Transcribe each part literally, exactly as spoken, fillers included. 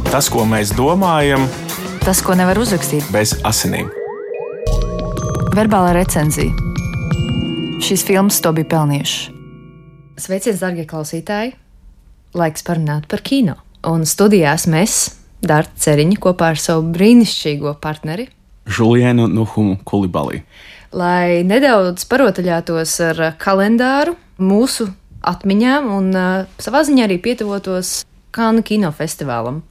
Tas, ko mēs domājam, tas, ko nevar uzrakstīt bez asinīm. Verbālā recenzija. Šīs filmas to bija pelnījušas. Sveiciens, darbie klausītāji! Laiks parunāt par kino. Un studijās mēs, Darta Ceriņa, kopā ar savu brīnišķīgo partneri Žulienu Nuhumu Kulibalī. Lai nedaudz parotaļātos ar kalendāru, mūsu atmiņām un uh, savā ziņā arī pietuvotos Kannu kinofestivālam.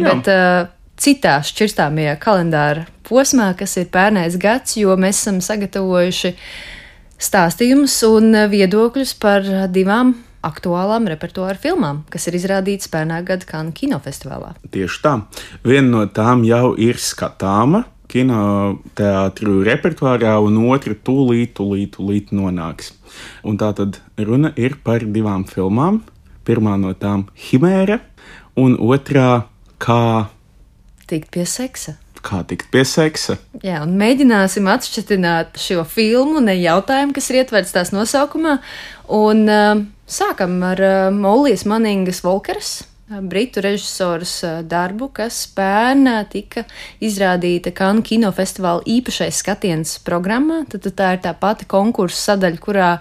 Jā. Bet uh, citā šķirstāmajā kalendāra posmā, kas ir pērnais gads, jo mēs esam sagatavojuši stāstījumus un viedokļus par divām aktuālām repertuāra filmām, kas ir izrādītas pērnā gada Kannu kinofestivālā. Tieši tā. Viena no tām jau ir skatāma kinoteātru repertuārā, un otra tūlīt, tūlīt, tūlīt nonāks. Un tā tad runa ir par divām filmām. Pirmā no tām Himēra, un otrā kā... Tikt pie seksa. Kā tikt pie seksa. Jā, un mēģināsim atšķitināt šo filmu, ne jautājumu, kas ir ietverts tās nosaukumā. Un uh, sākam ar uh, Mollijas Maningas Volkeras, uh, britu režisoras uh, darbu, kas pērn tika izrādīta Kannu kinofestivāla īpašais skatiens programmā. Tad, tad tā ir tā pati konkursa sadaļa, kurā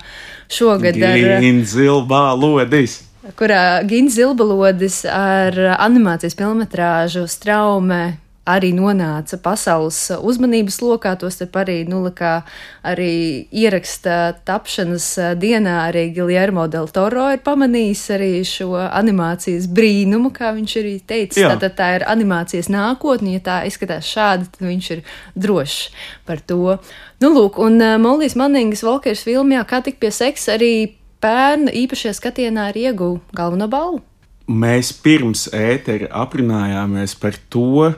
šogad ar... Gins Zilbā lodis. kurā Gins Zilbalodis ar animācijas filmetrāžu Straume arī nonāca pasaules uzmanības lokā, tostarp arī, nu, kā arī ieraksta tapšanas dienā arī Guillermo del Toro ir pamanījis arī šo animācijas brīnumu, kā viņš arī teica. Tātad tā ir animācijas nākotne, ja tā izskatās šādi, tad viņš ir drošs par to. Nu, lūk, un Mollijas Maningas Volkeras filmā Kā tikt pie seksa arī pērn īpašajā skatienā ir ieguva galveno balvu. Mēs pirms ētera aprunājāmies par to,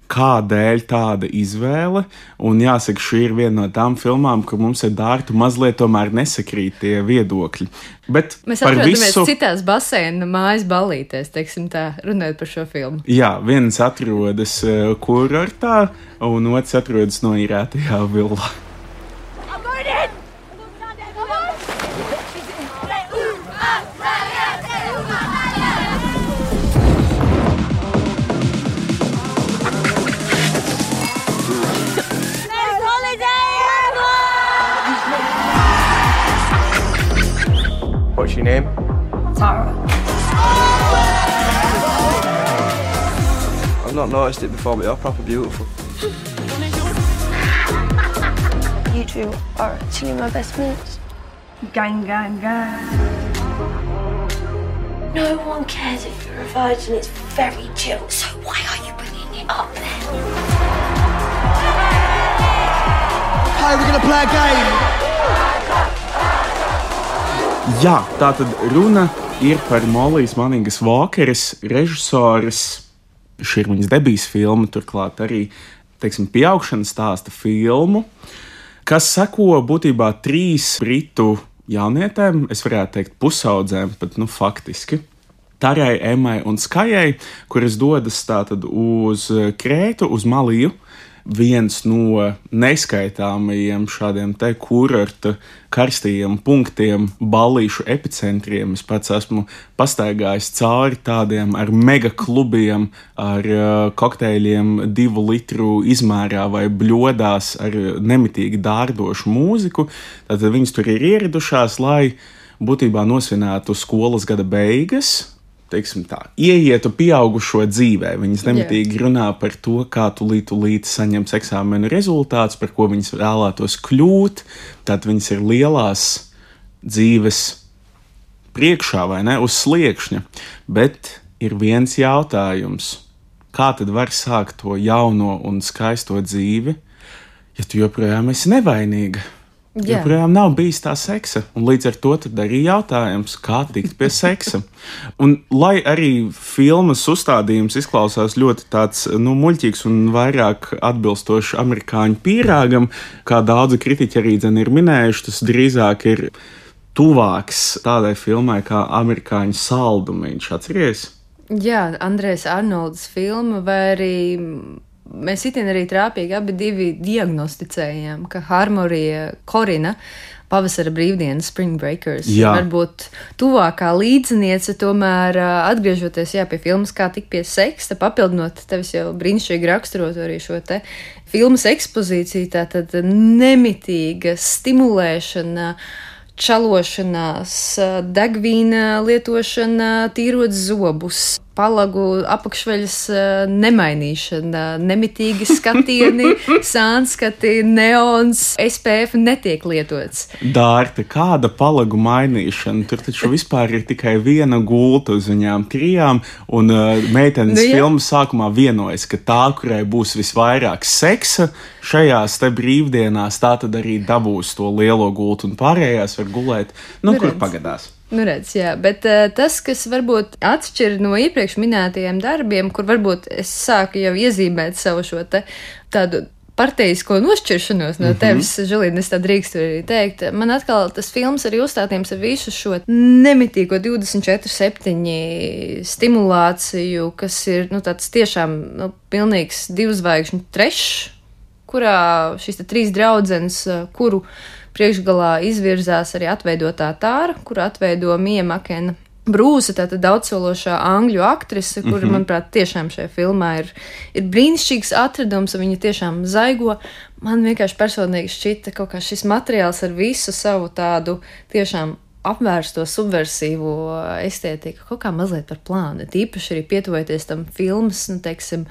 kādēļ tāda izvēle, un jāsaka, šī ir viena no tām filmām, kur mums ar Dārtu mazliet tomēr nesakrīt tie viedokļi. Bet mēs par atrodamies visu... citās baseina mājas ballītēs, teiksim tā, runājot par šo filmu. Jā, viens atrodas uh, kurortā, un otrs atrodas noīrētajā villā. What's your name? Tara. I've not noticed it before, but you're proper beautiful. You two are actually my best mates. Gang, gang, gang. No one cares if you're a virgin. It's very chill. So why are you bringing it up then? Hey, we're gonna play a game. Jā, tā tad runa ir par Mollijas Maningas Volkeras režisoras, šī ir viņas debijas filma, turklāt arī, teiksim, pieaugšanas stāsta filmu, kas seko būtībā trīs britu jaunietēm, es varētu teikt pusaudzēm, pat, nu, faktiski. Tarai, Emmai un Skajai, kuras dodas tātad uz Krētu, uz Maliju, viens no neskaitāmajiem šādiem te kurorta karstajiem punktiem, ballīšu epicentriem. Es pats esmu pastaigājis cauri tādiem ar mega klubiem, ar uh, kokteļiem divu litru izmērā vai bļodās ar nemitīgi dārdošu mūziku. Tātad viņas tur ir ieradušās, lai būtībā nosvinētu skolas gada beigas, teiksim tā, ieietu pieaugušo dzīvē. Viņas nemitīgi runā par to, kā tulīt, tulīt saņems eksāmenu rezultātus, par ko viņas vēlētos kļūt. Tātad viņas ir lielās dzīves priekšā, vai ne, uz sliekšņa. Bet ir viens jautājums. Kā tad var sākt to jauno un skaisto dzīvi, ja tu joprojām esi nevainīga? Jā. Joprojām nav bijis tā seksa, un līdz ar to tad arī jautājums, kā tikt pie seksa. Un lai arī filmas uzstādījums izklausās ļoti tāds, nu, muļķīgs un vairāk atbilstoši amerikāņu pīrāgam, kā daudzi kritiķi arī dzen ir minējuši, tas drīzāk ir tuvāks tādai filmai kā amerikāņu saldumiņš, atceries? Jā, Andrejs Arnolds filma, vai arī mēs itin arī trāpīgi abi divi diagnosticējām, ka Harmorija Korina pavasara brīvdienas, Spring Breakers. Jā. Varbūt tuvākā līdziniece, tomēr atgriežoties jā, pie filmas Kā tik pie seksa, papildinot tevis jau brīnišķīgi raksturot arī šo te filmas ekspozīciju, tātad nemitīga stimulēšana, čalošanās, degvīna lietošana, tīrot zobus, palagu apakšveļas nemainīšana, nemitīgi skatieni, sānskati, neons, S P F netiek lietots. Dārta, kāda palagu mainīšana? Tur taču vispār ir tikai viena gulta uz viņām trijām, un uh, meitenes Nu, jā. filmas sākumā vienojas, ka tā, kurai būs visvairāk seksa šajās te brīvdienās, tā tad arī dabūs to lielo gultu, un pārējās var gulēt, nu, Nu, kur redz. pagadās. Nu, redz, jā, bet uh, tas, kas varbūt atšķir no iepriekš minētajiem darbiem, kur varbūt es sāku jau iezīmēt savu šo te tādu parteisko nošķiršanos no tevis, mm-hmm. Žilīna, es tā drīkstu arī teikt, man atkal tas films arī uzstātījums ar visu šo nemitīgo divdesmit četri septiņi stimulāciju, kas ir, nu, tāds tiešām, nu, pilnīgs divzvaigžņu trešs, kurā šīs te trīs draudzenes, kuru priekšgalā izvirzās arī atveidotā Tāra, kuru atveido Mija Makena Brūsa, tātad daudzsološā angļu aktrise, kura, mm-hmm. manuprāt, tiešām šajā filmā ir, ir brīnišķīgs atradums, un viņa tiešām zaigo. Man vienkārši personīgi šķita kaut kā šis materiāls ar visu savu tādu tiešām apvērsto subversiīvo estētiku, kaut kā mazliet par plānu. Tīpaši arī pietuvojoties tam filmas, nu, teiksim,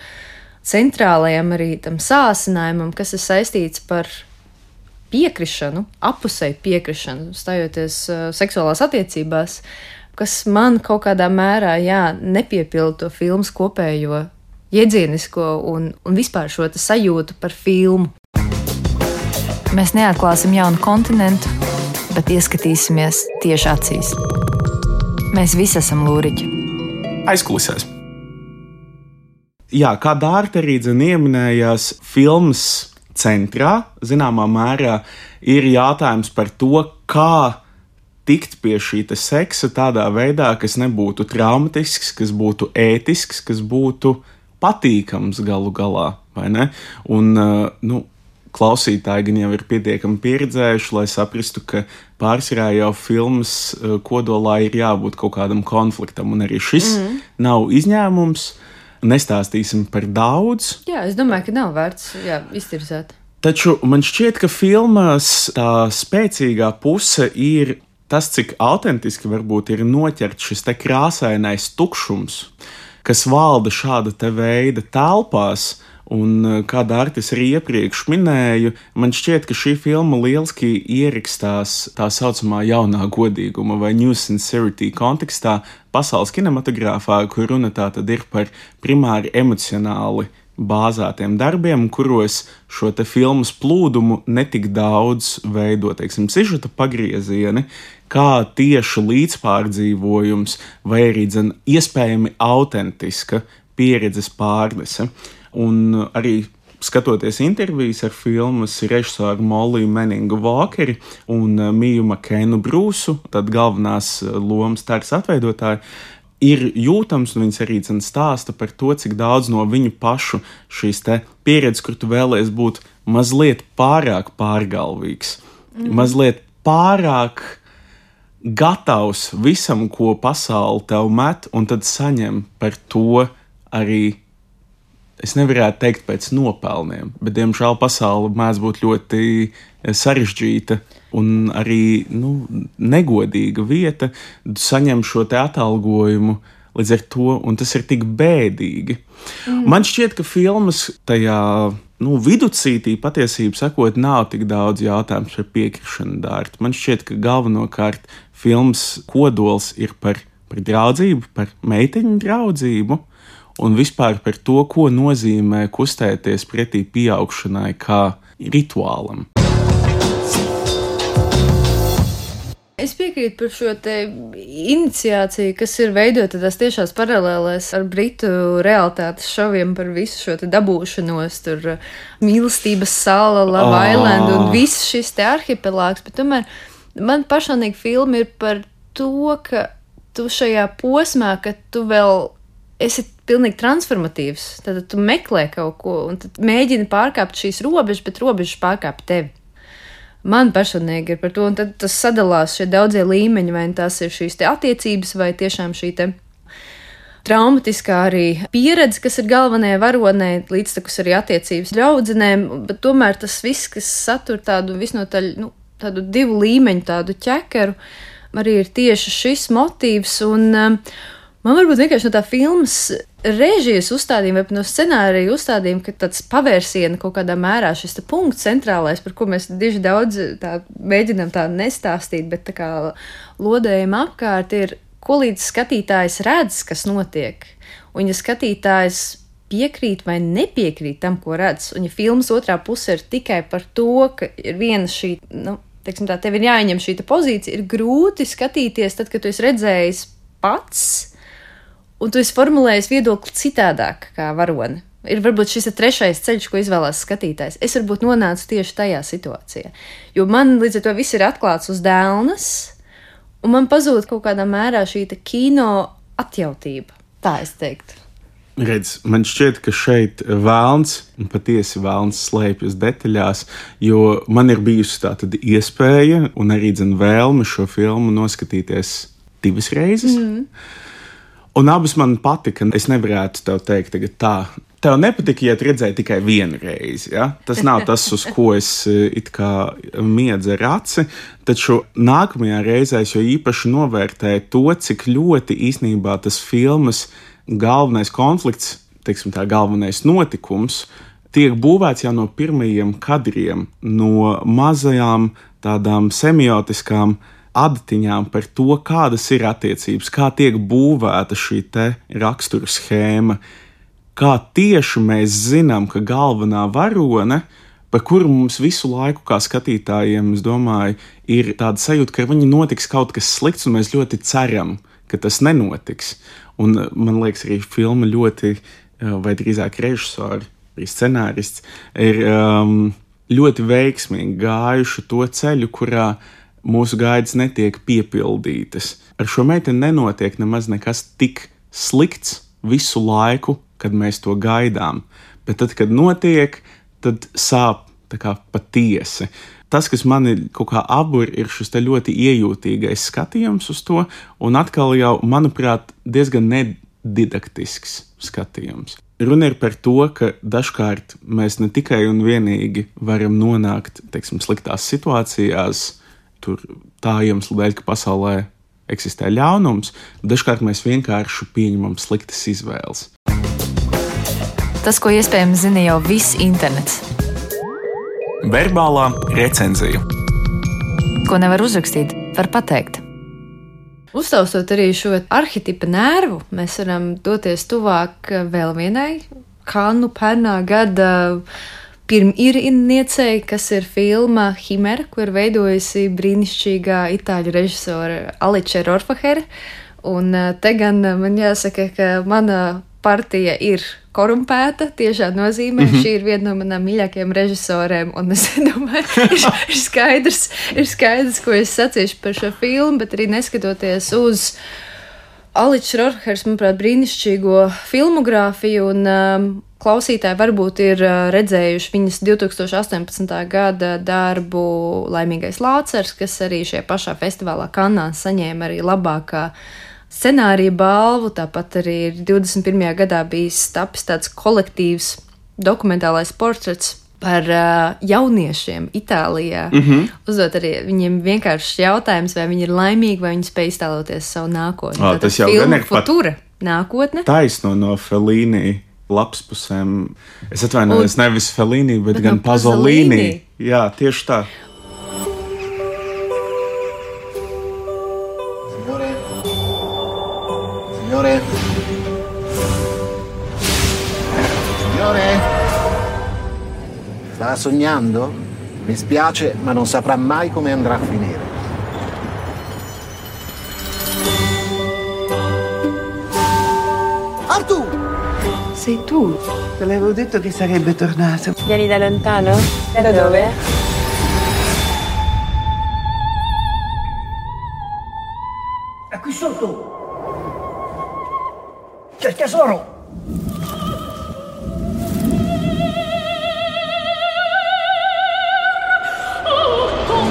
centrālajam arī tam sāsinājumam, kas ir saistīts par piekrišanu, apusēju piekrišanu, stājoties uh, seksuālās attiecībās, kas man kaut kādā mērā, jā, nepiepilda to filmas kopējo iedzienisko un, un vispār šo te sajūtu par filmu. Mēs neatklāsim jaunu kontinentu, bet ieskatīsimies tieši acīs. Mēs visi esam lūriķi. Aizkulisēs. Jā, kā Dārta arī dzen ieminējās, filmas centrā, zināmā mērā, ir jautājums par to, kā tikt pie šī te seksa tādā veidā, kas nebūtu traumatisks, kas būtu ētisks, kas būtu patīkams galu galā, vai ne? Un, nu, klausītāji gan jau ir pietiekami pieredzējuši, lai saprastu, ka pārsvarā jau filmas kodolā ir jābūt kaut kādam konfliktam, un arī šis mm. nav izņēmums. Nestāstīsim par daudz. Jā, es domāju, ka nav vērts jā, iztirzēt. Taču man šķiet, ka filmās tā spēcīgā puse ir tas, cik autentiski varbūt ir noķerts šis te krāsainais tukšums, kas valda šāda te veida telpās. Un, kā Dārtis arī iepriekš minēju, man šķiet, ka šī filma lieliski ierakstās tā saucamā jaunā godīguma vai New Sincerity kontekstā pasaules kinematogrāfā, kur runa tā tad ir par primāri emocionāli bāzētiem darbiem, kuros šo te filmas plūdumu netik daudz veido, teiksim, sižeta pagriezieni, kā tieši līdzpārdzīvojums vai arī dzen iespējami autentiska pieredzes pārnese. Un arī skatoties intervijas ar filmas režisoru Moliju Meningu Walkeri un Miju Makenu Brūsu, tad galvenās lomas Tāras atveidotāji, ir jūtams, un viņas arī stāsta par to, cik daudz no viņu pašu šīs te pieredzes, kur tu vēlies būt mazliet pārāk pārgalvīgs, mm. mazliet pārāk gatavs visam, ko pasaule tev met, un tad saņem par to arī, es nevarētu teikt pēc nopelniem, bet, diemžēl, pasaule mēdz būt ļoti sarežģīta un arī, nu, negodīga vieta, saņem šo te atalgojumu līdz ar to, un tas ir tik bēdīgi. Mm. Man šķiet, ka filmas tajā, nu, viducītī patiesību sakot, nav tik daudz jautājums par piekrišanu Dārtu. Man šķiet, ka galvenokārt filmas kodols ir par, par draudzību, par meiteņu draudzību, un vispār par to, ko nozīmē kustēties pretī pieaugšanai kā rituālam. Es piekrītu par šo te iniciāciju, kas ir veidota tās tiešās paralēlēs ar britu realitātes šoviem par visu šo te dabūšanos, tur mīlestības sala, Love oh. Island un viss šis te arhipelāgs, bet tomēr man personīgi filma ir par to, ka tu šajā posmā, ka tu vēl esi pilnīgi transformatīvs, tad tu meklē kaut ko un tad mēģini pārkāpt šīs robežas, bet robežas pārkāp tevi. man personīgi ir par to, un tad tas sadalās šie daudzie līmeņi, vai tās ir šīs te attiecības, vai tiešām šī te traumatiskā arī pieredze, kas ir galvenajai varonē, līdztekus arī attiecības ļaudzenēm, bet tomēr tas viss, kas satur tādu visnotaļ, nu, tādu divu līmeņu, tādu ķekeru, arī ir tieši šis motīvs, un um, man varbūt vienkārši no tā filmas režijas uzstādījuma vai no scenārija uzstādījuma, ka tāds pavērsiena kaut kādā mērā šis punkts centrālais, par ko mēs diži daudz tā mēģinām tā nestāstīt, bet tā kā lodējam apkārt ir, ko līdz skatītājs redz, kas notiek. Un ja skatītājs piekrīt vai nepiekrīt tam, ko redz, un ja filmas otrā puse ir tikai par to, ka ir viena šī, nu, teiksim tā, tev ir jāņem šī pozīcija, ir grūti skatīties tad, kad tu esi redzējis pats, un tu esi formulējis viedokli citādāk kā varone. Ir varbūt šis ir trešais ceļš, ko izvēlās skatītājs. Es varbūt nonācu tieši tajā situācijā. Jo man līdz ar to viss ir atklāts uz dēlnes, un man pazūd kaut kādā mērā šī kino atjautība. Tā es teiktu. Redz, man šķiet, ka šeit vēlns, un patiesi vēlns slēpjas detaļās, jo man ir bijusi tā tad iespēja un arī dzen vēlme šo filmu noskatīties divas reizes. Mm. Un abas man patika. Es nevarētu tev teikt tagad tā. Tev nepatika, ja tu redzēji tikai vienu reizi. Ja? Tas nav tas, uz ko es it kā miedzu ar aci. Taču nākamajā reizē es jau īpaši novērtēju to, cik ļoti īstenībā tas filmas galvenais konflikts, teiksim tā, galvenais notikums, tiek būvēts jau no pirmajiem kadriem, no mazajām tādām semiotiskām adatiņām par to, kādas ir attiecības, kā tiek būvēta šī te rakstura schēma, kā tieši mēs zinām, ka galvenā varone, par kuru mums visu laiku kā skatītājiem, es domāju, ir tāda sajūta, ka viņi notiks kaut kas slikts, un mēs ļoti ceram, ka tas nenotiks. Un man liekas, arī filma ļoti, vai drīzāk režisori, arī scenārists, ir um, ļoti veiksmīgi gājuši to ceļu, kurā mūsu gaidas netiek piepildītas. Ar šo meiteni nenotiek nemaz nekas tik slikts visu laiku, kad mēs to gaidām. Bet tad, kad notiek, tad sāp tā kā patiesi. Tas, kas mani kaut kā abur, ir šis te ļoti iejūtīgais skatījums uz to, un atkal jau, manuprāt, diezgan nedidaktisks skatījums. Runa ir par to, ka dažkārt mēs ne tikai un vienīgi varam nonākt, teiksim, sliktās situācijās, tur tā iemesla dēļ, ka pasaulē eksistē ļaunums, dažkārt mēs vienkārši pieņemam sliktas izvēles. Tas, ko iespējams zina jau viss internets. Verbālā recenzija. Ko nevar uzrakstīt, var pateikt. Uztaustot arī šo arhetipa nervu, mēs varam doties tuvāk vēl vienai Kannu pērnā gada pirmīrniecei, kas ir filma Himera, ko ir veidojusi brīnišķīgā itāļu režisora Alice Rohrwacher. Un te gan man jāsaka, ka mana partija ir korumpēta, tiešā nozīmē. Mm-hmm. Šī ir viena no manām mīļākajām režisorēm, un es domāju, ir, ir skaidrs, ir skaidrs, ko es sacīšu par šo filmu, bet arī neskatoties uz Alice Rohrwacheras, manuprāt, brīnišķīgo filmogrāfiju, un um, klausītāji varbūt ir uh, redzējuši viņas divtūkstoš astoņpadsmitā gada darbu Laimīgais Lācars, kas arī šajā pašā festivālā Kannā saņēma arī labākā scenārija balvu, tāpat arī ir divdesmit pirmajā gadā bijis tapis tāds kolektīvs dokumentālais portrets par uh, jauniešiem Itālijā. Mm-hmm. Uzdot arī viņiem vienkāršs jautājums, vai viņi ir laimīgi, vai viņi spēj iztēloties savu nākotni. O, tas jau gan ir Futura nākotne. Taisno no Fellini lapspusēm. Es atvainojos, nevis Fellini, bet, bet gan no Pasolini. Jā, tieši tā. Signore? Signore? Sta sognando? Mi spiace, ma non saprà mai come andrà a finire. Artù! Sei tu? Te l'avevo detto che sarebbe tornato. Vieni da lontano? Da dove? È qui sotto! C'è il tesoro! Oh,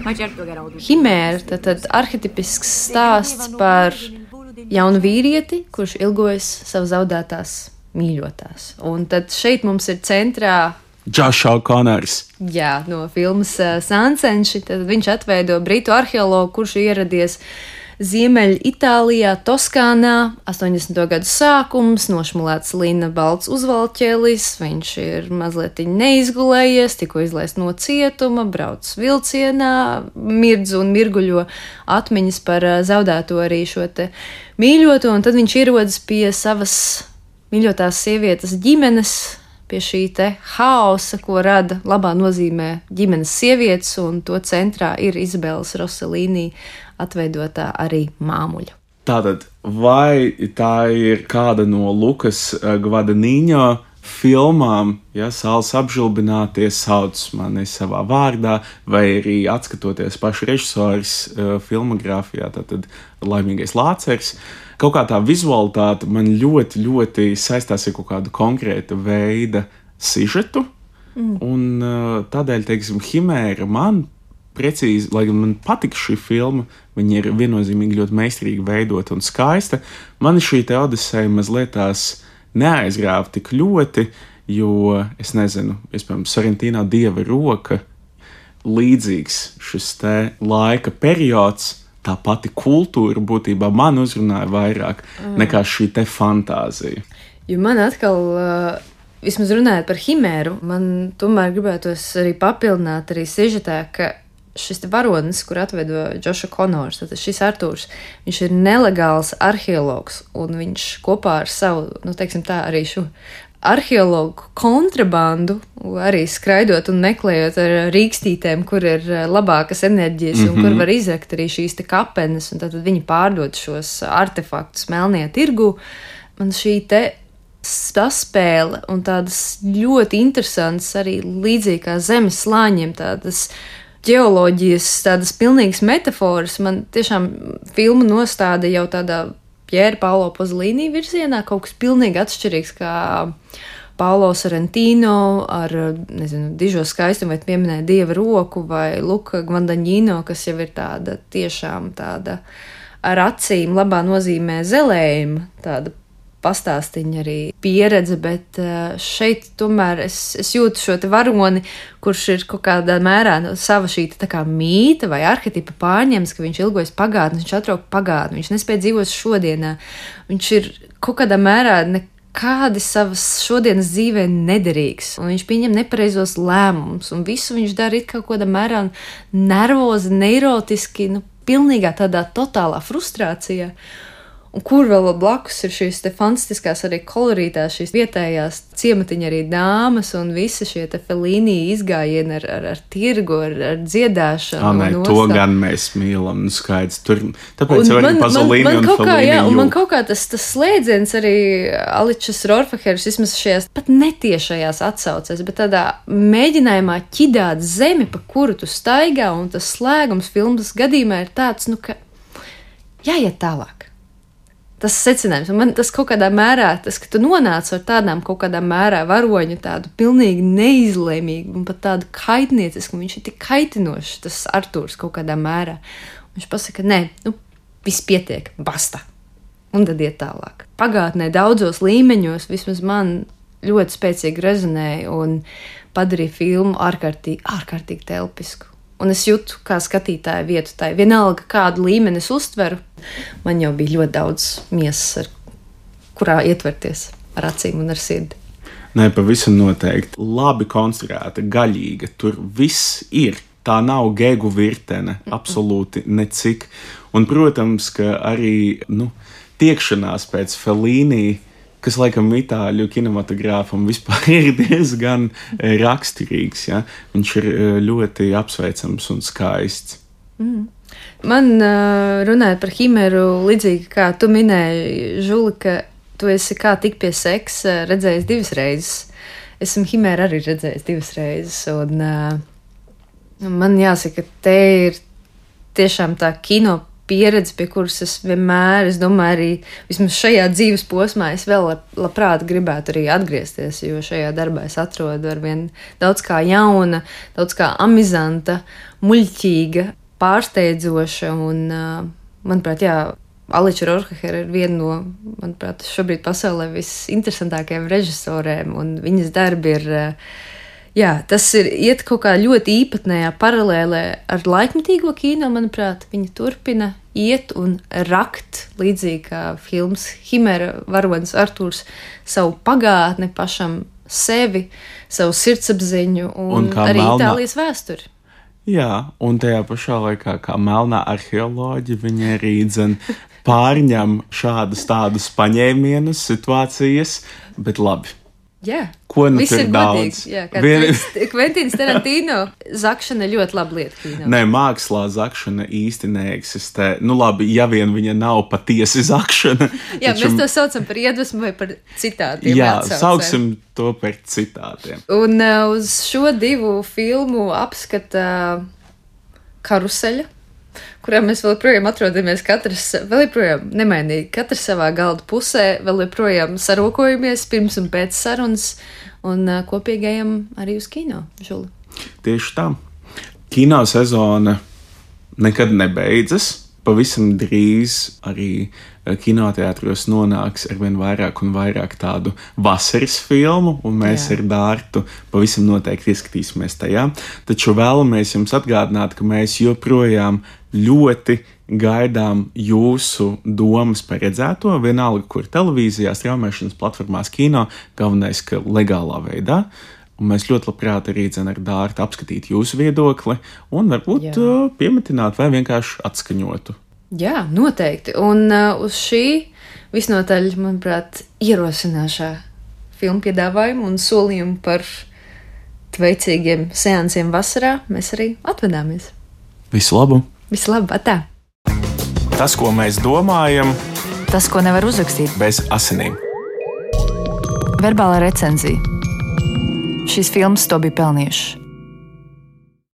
Himēra, tad, tad arhetipisks stāsts par jaunu vīrieti, kurš ilgojas savu zaudētās mīļotās. Un tad šeit mums ir centrā Josh O'Connors. Jā, no filmas uh, Sansenši. Tad viņš atveido britu arheologu, kurš ieradies Ziemeļ Itālijā, Toskānā, astoņdesmito gadu sākums, nošmulēts lina balts uzvalķēlis, viņš ir mazliet neizgulējies, tikko izlaist no cietuma, brauc vilcienā, mirdz un mirguļo atmiņas par uh, zaudēto arī šo te mīļoto, un tad viņš ierodas pie savas mīļotās sievietes ģimenes, pie šī te haosa, ko rada labā nozīmē ģimenes sievietes, un to centrā ir Izabeles Rossellini atveidotā arī māmuļa. Tātad, vai tā ir kāda no Lukas Gvadanīņo filmām, ja Saules apžilbinātie sauc mani savā vārdā, vai arī atskatoties pašu režisoras uh, filmogrāfijā, tātad Laimīgais lācers, kaut kā tā vizualitāte man ļoti, ļoti saistās ar kaut kādu konkrēta veida sižetu, mm. un uh, tādēļ, teiksim, Himēra man precīzi, lai gan man patika šī filma, viņa ir viennozīmīgi ļoti meistarīgi veidota un skaista, man šī te Odiseja mazliet tās neaizrāva tik ļoti, jo, es nezinu, iespējams, Sorrentino Dieva roka līdzīgs šis te laika periods, tā pati kultūra būtībā man uzrunāja vairāk mm. nekā šī te fantāzija. Jo man atkal, vismaz runājot par Himēru, man tomēr gribētos arī papildināt arī sižetā, ka šis varonis, kur atveido Josh O'Connors, tad šis Artūrs, viņš ir nelegāls arheologs, un viņš kopā ar savu, nu, teiksim tā, arī šo arheologu kontrabandu, arī skraidot un meklējot ar rīkstītēm, kur ir labākas enerģijas, mm-hmm. un kur var izrakt arī šīs te kapenes, un tad viņi pārdod šos artefaktus melnajā tirgu. Man šī te saspēle un tādas ļoti interesantas arī līdzīgi kā zemes slāņiem, tādas ģeoloģijas, tādas pilnīgas metaforas, man tiešām filma nostāda jau tādā Piera Paolo Pasolini virzienā, kaut kas pilnīgi atšķirīgs kā Paolo Sorrentino ar, nezinu, dižo skaistumu, vai pieminēja Dieva roku, vai Luka Gvadanīņo, kas jau ir tāda tiešām tāda ar acīm labā nozīmē zelējuma, tāda pastāstiņa arī pieredze, bet šeit tomēr es, es jūtu šo te varoni, kurš ir kaut kādā mērā no sava šī tā kā mīta vai arhetipa pārņems, ka viņš ilgojas pagātni, viņš atrok pagātni, viņš nespēja dzīvot šodienā, viņš ir kaut kādā mērā nekādi savas šodienas dzīvē nederīgs, un viņš pieņem nepareizos lēmumus, un visu viņš dara it kaut kādā mērā nervozi, neirotiski, nu, pilnīgā tādā totālā frustrācijā. Un kur vēl blakus ir šīs te fantastiskās arī kolorītās, šīs vietējās ciematiņa arī dāmas un visi šie te Fellini izgājieni ar, ar, ar tirgu, ar, ar dziedāšanu. Ah, nē, to gan mēs mīlam, nu skaidrs. Tur, tāpēc jau arī Pasolini un Fellini jā, un man kaut kā tas, tas slēdziens arī Aličas Rorfaheras, vismaz šajās pat netiešajās atsaucēs, bet tādā mēģinājumā ķidāt zemi, pa kuru tu staigā, un tas slēgums filmas gadījumā ir tāds, nu, ka jāiet tālāk. Tas secinājums, un man tas kaut kādā mērā, tas, ka tu nonāc ar tādām kaut kādā mērā varoņu tādu pilnīgi neizlēmīgu un pat tādu kaitniecisku, un viņš ir tik kaitinošs, tas Artūrs kaut kādā mērā. Viņš pasaka, nē, nu, viss pietiek, basta, un tad iet tālāk. Pagātnē daudzos līmeņos vismaz man ļoti spēcīgi rezonēja un padarīja filmu ārkārtīgi, ārkārtīgi telpisku. Un es jūtu, kā skatītāja vietu tai. Vienalga, kādu līmeni es uztveru, man jau bija ļoti daudz miesas, ar kurā ietverties ar acīm un ar sirdi. Nē, pavisam noteikti. Labi konstruēta, gaļīga. Tur viss ir. Tā nav gegu virtene, absolūti necik. Un, protams, ka arī nu, tiekšanās pēc Fellini, kas laikam itāļu kinematogrāfam vispār ir diezgan raksturīgs. Ja? Viņš ir ļoti apsveicams un skaists. Mm. Man runājot par Himēru, līdzīgi kā tu minēji, Žuli, ka tu esi kā tik pie seksa redzējis divas reizes. Esmu Himēru arī redzējis divas reizes, un man jāsaka, te ir tiešām tā kino pieredze, pie kuras es vienmēr, es domāju, arī vismaz šajā dzīves posmā es vēl labprāt gribētu arī atgriezties, jo šajā darbā es atrodu arvien daudz kā jauna, daudz kā amizanta, muļķīga pārsteidzoša. Un, manuprāt, jā, Aliča Rohrachera ir viena no, manuprāt, šobrīd pasaulē visinteresantākajām režisorēm, un viņas darbi ir, jā, tas ir iet kaut kā ļoti īpatnējā paralēlē ar laikmetīgo kino, manuprāt. Viņa turpina iet un rakt, līdzīgi kā films Himera varonis Artūrs, savu pagātni pašam, sevi, savu sirdsapziņu un, un arī melnā... Itālijas vēsturi. Jā, un tajā pašā laikā, kā melnā arheoloģija, viņa arī dzen pārņem šādus tādus paņēmienus, situācijas, bet labi. Jā, ko nu viss tur ir daudz? Godīgi, jā, kā Vien... Kventīns Tarantino, zakšana ļoti laba lieta kino. Nē, mākslā zakšana īsti neeksistē. Nu labi, ja vien viņa nav patiesi zakšana. Jā, taču... mēs to saucam par iedvesmu vai par citātiem. Jā, atsaucēm. sauksim to par citātiem. Un uh, uz šo divu filmu apskata karuseļa, kurā mēs vēl joprojām atrodamies, katrs vēl joprojām nemainīgi, katrs savā galda pusē, vēl joprojām sarokojamies pirms un pēc sarunas un uh, kopīgajam arī uz kino, Žuli. Tieši tā. Kino sezona nekad nebeidzas. Pavisam drīz arī kinoteātros nonāks arvien vairāk un vairāk tādu vasaras filmu, un mēs Jā. Ar Dārtu pavisam noteikti ieskatīsimies tajā. Taču vēlamies jums atgādināt, ka mēs joprojām ļoti gaidām jūsu domas par redzēto, vienalga, kur televīzijā, straumēšanas platformās, kino, galvenais, ka legālā veidā. Un mēs ļoti labprāt arī dzen ar Dārtu apskatīt jūsu viedokli un varbūt Jā. Piemetināt vai vienkārši atskaņotu. Jā, noteikti. Un uh, uz šī visnotaļ, manuprāt, ierosināšā filmu piedāvājumu un solījumu par tveicīgiem seansiem vasarā mēs arī atvedāmies. Visu labu! Visu labu, atā! Tas, ko mēs domājam, tas, ko nevar uzrakstīt bez asinīm. Verbālā recenzija. Šīs filmas to bija pelnījušas.